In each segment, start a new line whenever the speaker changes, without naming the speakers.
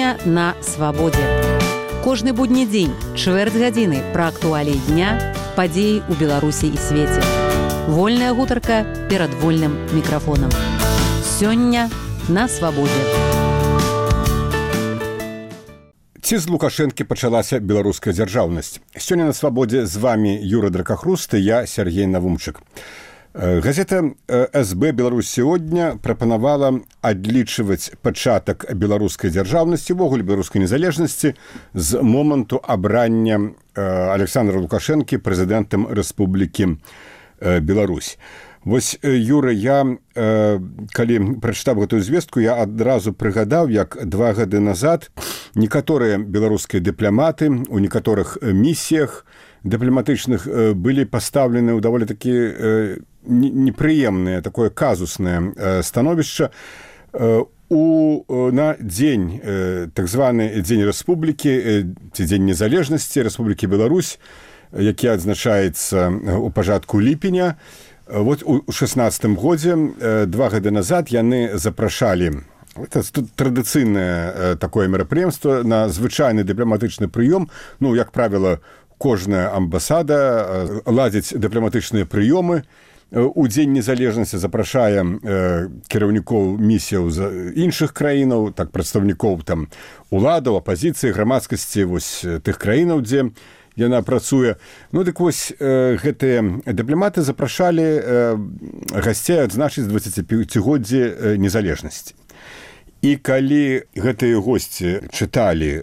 Сёння на свабодзе. Кожны будні дзень, чвэрць гадзіны пра актуаліі дня, падзеі ў Беларусі і свеце. Вольная гутарка перад вольным мікрафонам. Сёння на свабодзе.
Ці з Лукашэнкі пачалася беларуская дзяржаўнасць? Сёння на свабодзе з вами Юра Дракахруст і я, Сергей Навумчык. Газета СБ «Беларусь сегодня» прапанавала адлічваць пачатак беларускай дзяржаўнасці, увогуле беларускай незалежнасці з моманту абрання Александра Лукашэнкі прэзідэнтам Рэспублікі Беларусь. Вось, Юра, я, калі прачытаў гэтую звестку, я адразу прыгадаў, як 2 гады назад некаторыя беларускія дыпламаты ў некаторых місіях дыпламатычных былі пастаўлены ў даволі такі непрыемнае, такое казуснае становішча на дзень, так званы Дзень Рэспублікі, ці Дзень незалежнасці Рэспублікі Беларусь, які адзначаецца ў пачатку ліпеня. Вот у 16-м годзе, 2 гады назад, яны запрашалі, это традыцыйнае такое мерапрыемства, на звычайны дыпламатычны прыём. Ну, як правіла, кожная амбасада ладзіць дыпламатычныя прыёмы. У Дзень незалежнасці запрашае кіраўнікоў місіяў з іншых краінаў, так, прадстаўнікоў там уладаў, апазіцыі, грамадскасці вось тых краінаў, дзе яна працуе. Ну, дык вось гэтыя дыпламаты запрашалі гасцей адзначыць 25-годдзе незалежнасці. І калі гэтыя госці чыталі,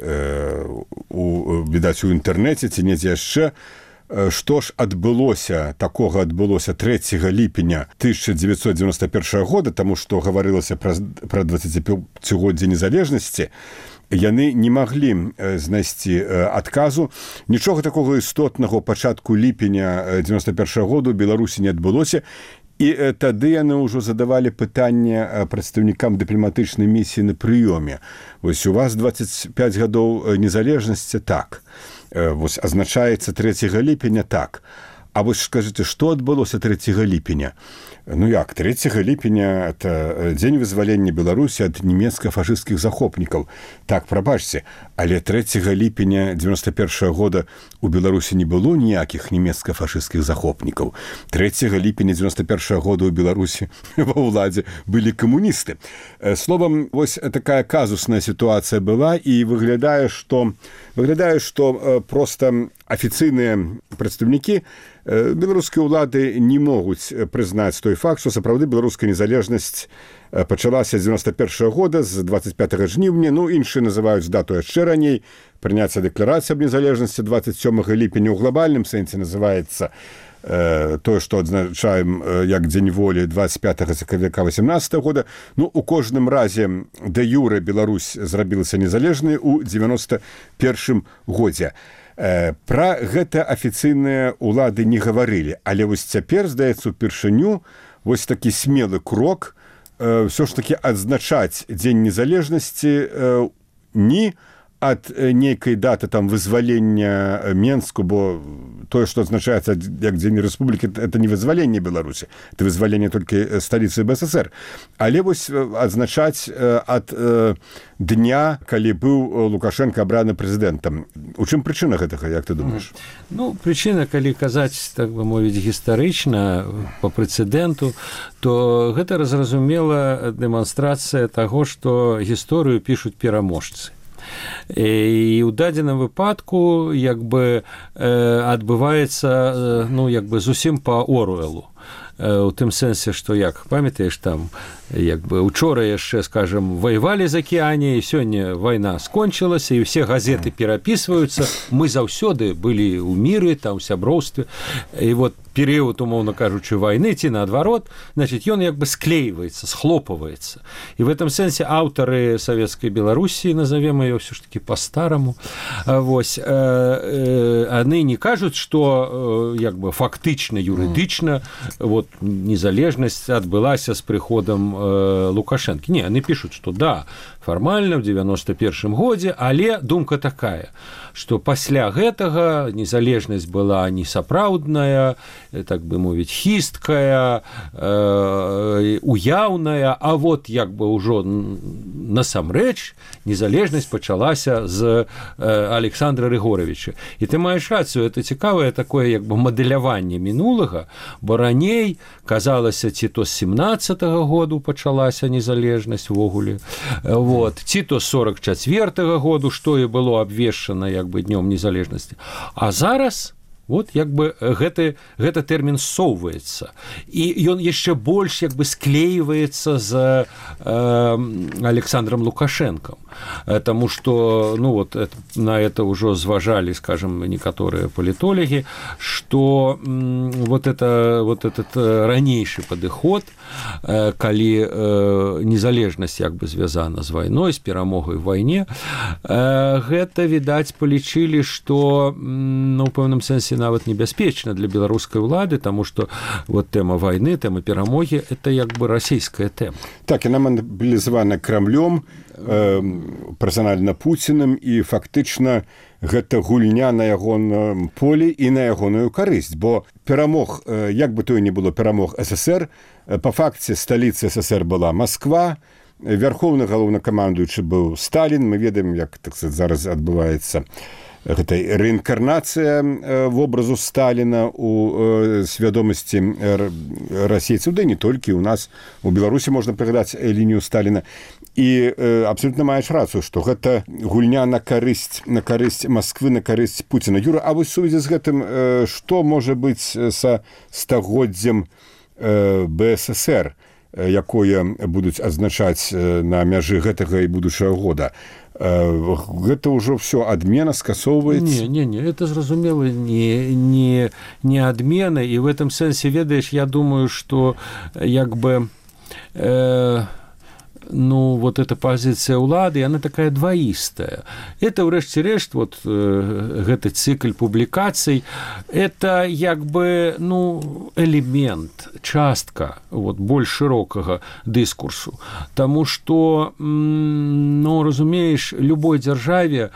відаць, у інтэрнэце ці недзе яшчэ, што ж такога адбылося 3 ліпеня 1991 года, таму што гаварылася пра 25-годдзе незалежнасці, яны не маглі знайсці адказу. Нічога такога істотнага ў пачатку ліпеня 91 году ў Беларусі не адбылося. І тады яны ўжо задавалі пытанне прадстаўнікам дыпламатычнай місіі на прыёме. Вось у вас 25 гадоў незалежнасці, так. Вось азначаецца 3 ліпеня, так. А вось скажыце, што адбылося 3 ліпеня? Ну як, 3 ліпеня – это дзень вызвалення Беларусі ад нямецка-фашысцкіх захопнікаў. Так, прабачце, але 3 ліпеня 91 года у Беларусі не было ніякіх нямецка-фашысцкіх захопнікаў. 3 ліпеня 91 года у Беларусі ва ўладзе былі камуністы. Словам, вось такая казусная сітуацыя была, і выглядае, што проста афіцыйныя прадстаўнікі беларускай улады не могуць прызнаць той факт, што сапраўды беларуская незалежнасць пачалася з 91 года, з 25 жніўня, ну, іншыя называюць дату яшчэ раней, прыняцця дэкларацыі аб незалежнасці 27 ліпеня ў глобальным сэнсе называецца тое, што адзначаем як Дзень волі 25 сакавіка 18 года. Ну, у кожным разе дэ юрэ Беларусь зрабілася незалежнай у 91 годзе. Пра гэта афіцыйныя улады не гаварылі, але вось цяпер, здаецца, упершыню вось такі смелы крок ўсё ж такі адзначаць Дзень незалежнасці не ад нейкай даты там вызвалення Менску, бо тое, што адзначаецца як Дзень Рэспублікі, это не вызваленне Беларусі, это вызваленне толькі сталіцы БССР. Але вось адзначаць ад дня, калі быў Лукашенко абраны прэзідэнтам. У чым прычына гэтага, як ты думаеш?
Ну, прычына, калі казаць, так бы мовіць, гістарычна, па прэцэдэнту, то гэта разразумела дэманстрацыя таго, што гісторыю пішуць пераможцы. І ў дадзеным выпадку як бы адбываецца, ну, як бы зусім па Оруэлу. У тым сэнсе, што, як памятаеш, там як бы учора яшчэ, скажем, ваявалі з акіяне, і сёння вайна скончылася, і ўсе газеты перапісваюцца. Мы заўсёды былі ў міры, там, у сяброўстве. І вот перыяд, умоўна кажучы, вайны, ці наадварот, значит, ён як бы склейваецца, схлопваецца. І в этом сэнсе аўтары Савецкай Беларусі, назовем её ўсё ж таки по-старому, вось, яны не кажуць, што як бы фактычна, юрыдычна вот незалежнасць адбылася з прыходам Лукашэнкі. Не, яны пішуць, што да, фармальна ў 91 годзе, але думка такая, што пасля гэтага незалежнасць была не сапраўдная, так бы мовіць, хісткая, уяўная, а вот як бы ўжо насамрэч незалежнасць пачалася з Александра Рыгоровича. І ты маеш рацыю, это цікавае такое як бы мадэляванне мінулага, бо раней казалася, ці то з 17-го году пачалася незалежнасць увогуле, вот, ці то з 44-го году, што і было абвешчана як бы днём незалежнасці. А зараз вот як бы гэты тэрмін ссоўваецца. І ён яшчэ больш як бы склеиваецца з Александром Лукашенком. Таму што, ну вот, на это ўжо зважалі, скажем, некаторыя палітолагі, што вот этот ранейшы падыход, калі незалежнасць як бы звязана з вайной, з перамогай у вайне, гэта, відаць, палічылі, што, ну, ў пэўным сэнсе нават небяспечна для беларускай улады, таму што вот тэма вайны, тэма перамогі, это як бы расійская тэма.
Так, яна мабілізавана Крамлём, персанальна Пуціным, і фактычна гэта гульня на ягоным полі і на ягоную карысць, бо перамог, як бы то і не было перамог СССР, па факце сталіцы СССР была Москва, вярхоўны галоўнакамандуючы быў Сталін, мы ведаем, як, так сказаць, зараз адбываецца гэта рэінкарнацыя вобразу Сталіна у свядомасці расейцаў, да не толькі у нас, у Беларусі можна прыгадаць лінію Сталіна. І абсолютна маеш рацыю, што гэта гульня на карысць Масквы, на карысць Пуціна. Юра, а вось сувязі з гэтым, што можа быць са стагоддзям БССР, якое будуць адзначаць на мяжы гэтага і будучага года? Гэта ўжо все адмена скасоўваецца?
Не, это зразумела не адмена, і в этом сэнсе, ведаеш, я думаю, што як бы ну, вот эта позиция улады, она такая двоистая. Это, ўрэшце рэшт, вот гэты цикл публікацый, это як бы, ну, элемент, частка вот, больш широкага дыскурсу. Таму што, ну, разумееш, любой дзяржаве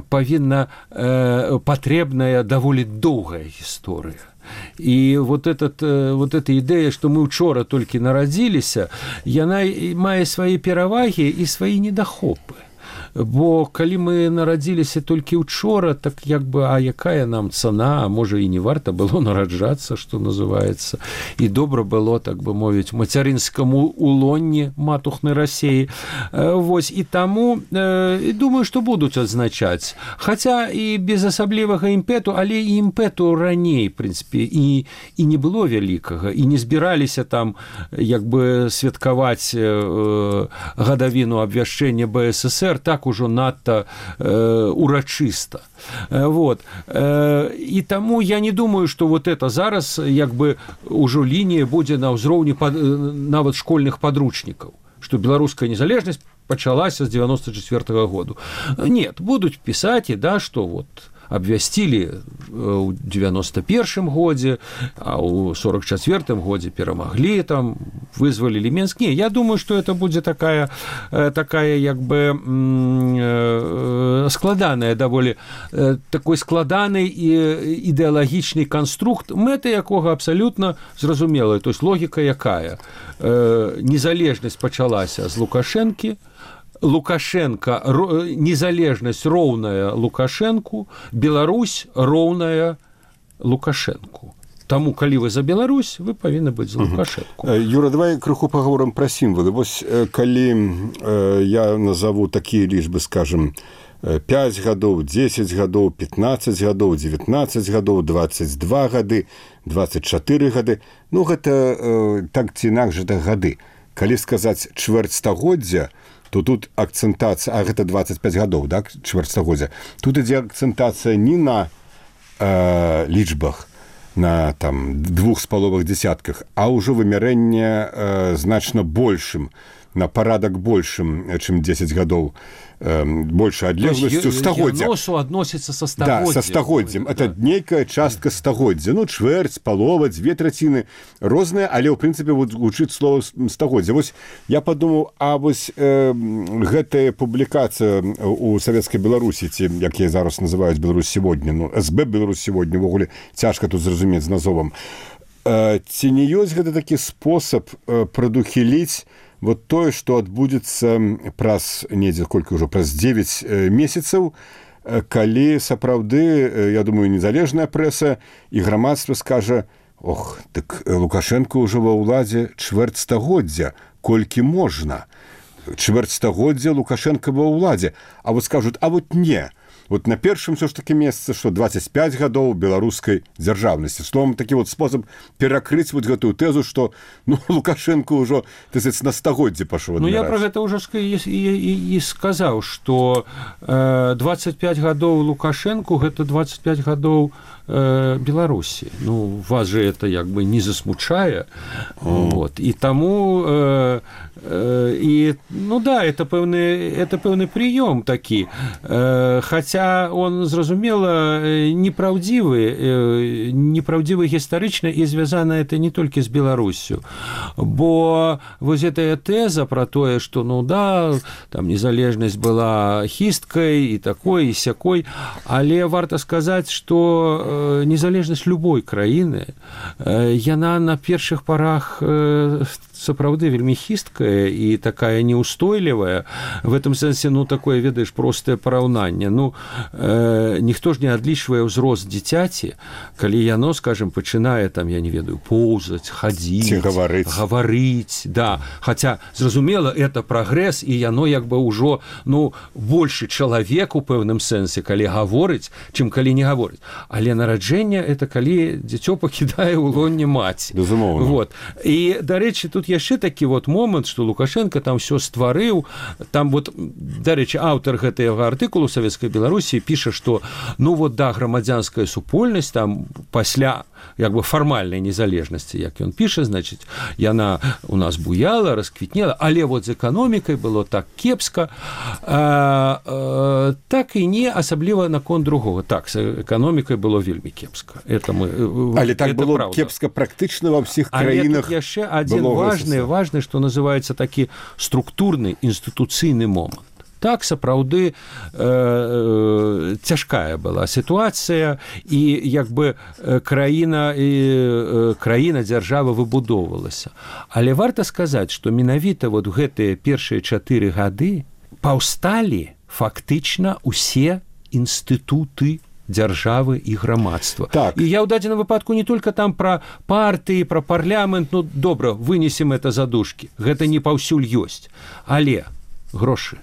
павінна патрэбная даволі доўгая гісторыя. І вот эта ідэя, што мы учора толькі нарадзіліся, яна мае свае перавагі і свае недахопы. Бо калі мы нарадзіліся толькі учора, так як бы, а якая нам цана, а можа і не варта было нараджацца, што называецца, і добра было, так бы мовіць, мацярынскаму улонні матухнай Расіі. Вось, і таму, думаю, што будуць адзначаць. Хаця і без асаблівага імпэту, але і імпэту раней, в прынцыпе, і не было вялікага, і не збіраліся там, як бы, святкаваць гадавіну абвяшчэння БССР, так ужо надта урачыста. Вот. І таму я не думаю, што вот это зараз як бы ўжо лінія будзе на ўзроўні нават школьных падручнікаў, што беларуская незалежнасць пачалася з 94-го году. Нет, будуць пісаць, да, што вот абвясцілі ў 91-м годзе, а ў 44-м годзе перамаглі, там, вызвалілі Менск. Не, я думаю, што это будзе такая як бы складаная даволі, такой складаны ідэалагічны канструкт, мэта якога абсалютна зразумелая. То есть логіка якая? Незалежнасць пачалася з Лукашэнкі, Лукашенко, незалежнасць роўная Лукашенку, Беларусь роўная Лукашенку. Таму, калі вы за Беларусь, вы павінны быць за Лукашенку.
Юра, давай крыху паговорым пра сімвалы. Вось калі я назову такія лічбы, скажем, 5 гадоў, 10 гадоў, 15 гадоў, 19 гадоў, 22 гады, 24 гады, ну гэта так ці інакш гэта гады. Калі сказаць чвэрцьстагоддзя, то тут акцэнтацыя, а гэта 25 гадоў, так, чвэрцьстагоддзя. Тут ідзе акцэнтацыя не на лічбах, на там 2,5 дзесятках, а ўжо вымярэнне значна большым. на парадак большым, чым 10 гадоў большай адлегласцю стагоддзя.
Яносу адносіцца са стагоддзем.
Да, са стагоддзем. Это нейкая частка стагоддзя. Ну, чвэрць, палова, 2/3 розныя, але ў прынцыпе вот гучыць слова стагоддзя. Вось я падумаў, а вось гэтая публікацыя у савецкай Беларусі, ці як яе зараз называюць Беларусь сегодня, ну, СБ Беларусь сегодня, увогуле цяжка тут зразумець з назовам. Ці не ёсць гэта такі спосаб прадухіліць вот тое, што адбудзецца праз недзе колькі ўжо праз 9 месяцаў, калі сапраўды, я думаю, незалежная прэса і грамадства скажа: ох, так Лукашенко ўжо ва ўладзе чвэрць стагоддзя, колькі можна. Чвэрць стагоддзя Лукашенко ва ўладзе. А вот скажуць: а вот не. Вот на першым все ж таки месяце, што 25 гадоў беларускай дзяржаўнасці. Словом, такі вот спосаб перакрыць вот гэтую тэзу, што ну, Лукашенко ўжо на стагоддзе пашоў адміраць.
Ну, я пра гэта ўжо і сказаў, што 25 гадоў Лукашенко – гэта 25 гадоў Беларусі. Ну, вас же это як бы не засмучае. Вот. І таму ну да, это пэўны прыём такі. Хаця он, зразумела, непраўдзівы гістарычна, і звязана это не толькі з Беларусю. Бо вось гэтая тэза пра тое, што ну да, там незалежнасць была хісткай і такой, і сякой, але варта сказаць, што незалежнасць любой краіны, яна на першых парах сапраўды вельмі хісткая і такая неустойлівая. В этом сэнсе, ну, такое, ведаеш, простае параўнанне. Ну, ніхто ж не адлічвае ўзрост дзіцяці, калі яно, скажем, пачынае, там, я не ведаю, поўзаць, хадзіць, гаварыць, да. Хаця, зразумела, это прагрэс, і яно як бы ўжо, ну, большы чалавек у пэўным сэнсе, калі гаворыць, чым калі не гаворыць. Але нараджэнне – это калі дзіцё пакідае ў лоне маці.
Безумоўна.
Вот. І, дарэчы, тут яшчэ такі вот момант, што Лукашенко там все стварыў. Там вот, дарэчы, аўтар гэтага артыкулу Савецкай Беларусі піша, што ну вот да, грамадзянская супольнасць там пасля як бы фармальнай незалежнасці, як ён піша, значыць, яна у нас буяла, расквітнела, але вот з эканомікай было так кепска, так і не асабліва наконт другога. Так, з эканомікай было вельмі кепска. Это мы,
але так
это
было
правда.
Кепска практычна ва ўсіх краінах.
Але тут яшчэ адзін важны, што называецца такі структурны інстытуцыйны момант. Так, сапраўды, цяжкая была сітуацыя, і як бы краіна, дзяржава выбудоўвалася. Але варта сказаць, што менавіта вот гэтыя першыя 4 гады паўсталі фактычна ўсе інстытуты дзяржавы і грамадства.
Так.
І я ў дадзеным выпадку не толькі там пра партыі, пра парламент, ну, добра, вынесем это за дужкі. Гэта не паўсюль ёсць. Але грошы,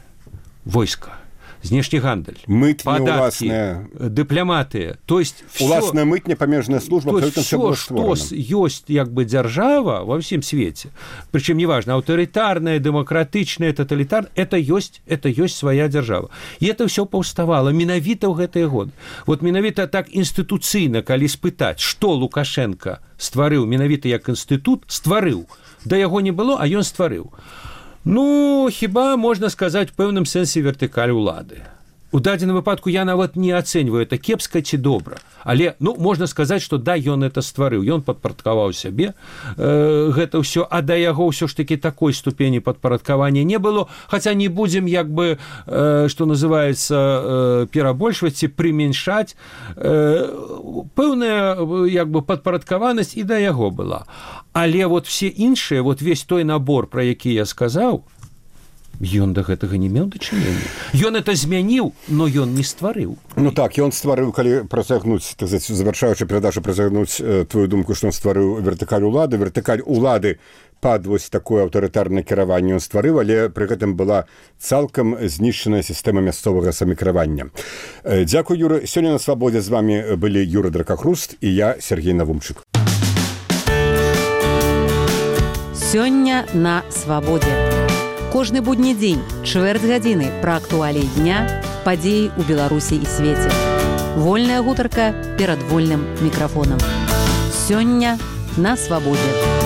войска, знешні гандаль, падаткі, дыпламатыя, то есть
уласная мытня, памежная служба,
то есть все, што ёсць як бы дзяржава ва ўсім свеце, прычым неважна, аўтарытарная, дэмакратычная, таталітарная, это ёсць свая дзяржава. І это ўсё паўставала менавіта ў гэтыя годы. Вот менавіта так інстытуцыйна, калі спытаць, што Лукашенко стварыў менавіта як інстытут, стварыў. Да яго не было, а ён стварыў. Ну, хіба можна сказаць у пэўным сэнсе вертыкаль улады. У дадзеным выпадку я нават не ацэньваю, это кепска ці добра. Але, ну, можна сказаць, што да, ён это стварыў. Ён падпарадкаваў сябе гэта ўсё, а да яго ўсё ж такі такой ступені падпарадкавання не было. Хаця не будзем, як бы, што называецца, перабольшваць ці прымяншаць. Пэўная, як бы, падпарадкаванасць і да яго была. Але вот все іншыя, вот весь той набор, пра які я сказаў, ён да гэтага не меў дачынення. Ён это змяніў, но ён не стварыў.
Ну так, ён стварыў, калі працягнуць, так сказаць, завяршаючы перадачу, працягнуць твою думку, што ён стварыў вертыкаль улады. Вертыкаль улады пад вось такое аўтарытарнае кіраванне ён стварыў, але пры гэтым была цалкам знішчаная сістэма мясцовага самакіравання. Дзякуй, Юра. Сёння на Свабодзе з вами былі Юра Дракахруст і я, Сергей Навумчык.
Сёння на Свабодзе. Кожны будні дзень, чвэрць гадзіны пра актуаліі дня, падзеі ў Беларусі і свеце. Вольная гутарка перад вольным мікрафонам. Сёння на Свабодзе.